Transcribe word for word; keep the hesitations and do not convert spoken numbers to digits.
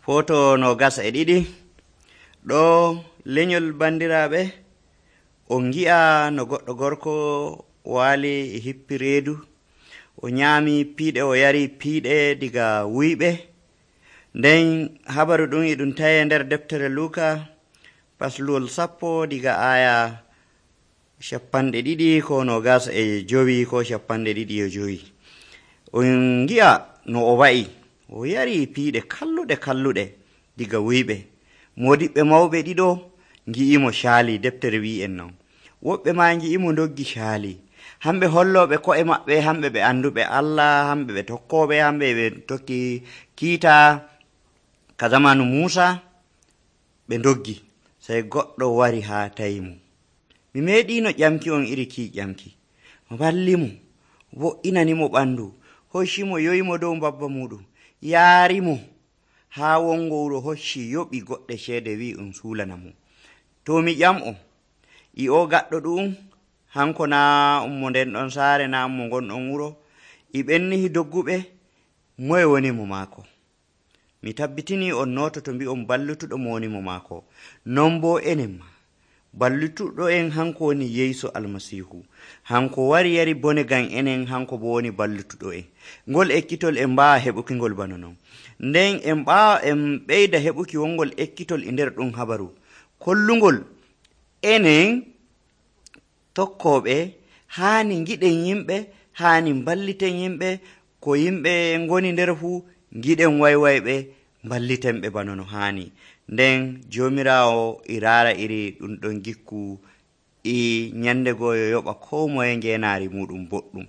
Foto no gas e ɗiɗi ɗo lenyol bandiraɓe on gi'a no goɗɗo gorko wali e hippi reedu o nyami piiɗe o yari piiɗe diga wuyɓe. Nden habaru ɗum e ɗum tawe nder deftere Luka pasluwol sappo diga aya shappanɗe ɗiɗi ko no gas e jowi ko shappanɗe ɗiɗi e jowi. On gi'a no o wa'i o yari piiɗe kalluɗe kalluɗe diga wuyɓe. Modiɓɓe mawɓe ɗiɗo ngi'imo shaali, deftere wi'en non. Woɓɓe ma ngi'imo doggi shaali. Hamɓe holloɓe ko'e maɓɓe, hamɓe ɓe anduɓe Allah, hamɓe ɓe tokkoɓe, hamɓe ɓe tokki kiita ka zamanu Musa, ɓe doggi. Sai goɗɗo wari ha tayimo. Mi meeɗino ƴamki on iri ki ƴamki. Wallimo, wo'inanimo ɓandu, hoccimo yoyimo dow babba muɗum, yaarimo ha wongo wuro hocci yoɓi goɗɗe ceede wi um suulanamo. To mi ƴam'o, i o gaɗɗo ɗum hanko na ummo nden ɗon saare, na ummo gonɗon wuro, i ɓennihi dogguɓe, moye woni mo maako? Mi tabbitini on nototo mbi'on ballutuɗo mo woni mo maako. Non bo enen ma ballutuɗo en hanko woni Yeesu Almasihu. Hanko wari yari bone ngam enen, hanko bo woni ballutuɗo en. Ngol ekkitol en mbaawa heɓuki ngol bana non. Nden en ɓaawa en ɓeyda heɓuki wongol ekkitol e nder ɗum habaru kollungol enen tokkoɓe haani giɗen yimɓe, haani balliten yimɓe, ko yimɓe ngoni nder fuu giɗen waywayɓe, ballitenɓe bana no haani. Nden Jomirawo i raara iri ɗum ɗon gikku i nyande goo yo yoɓa ko moye ngeenaari muɗum boɗɗum.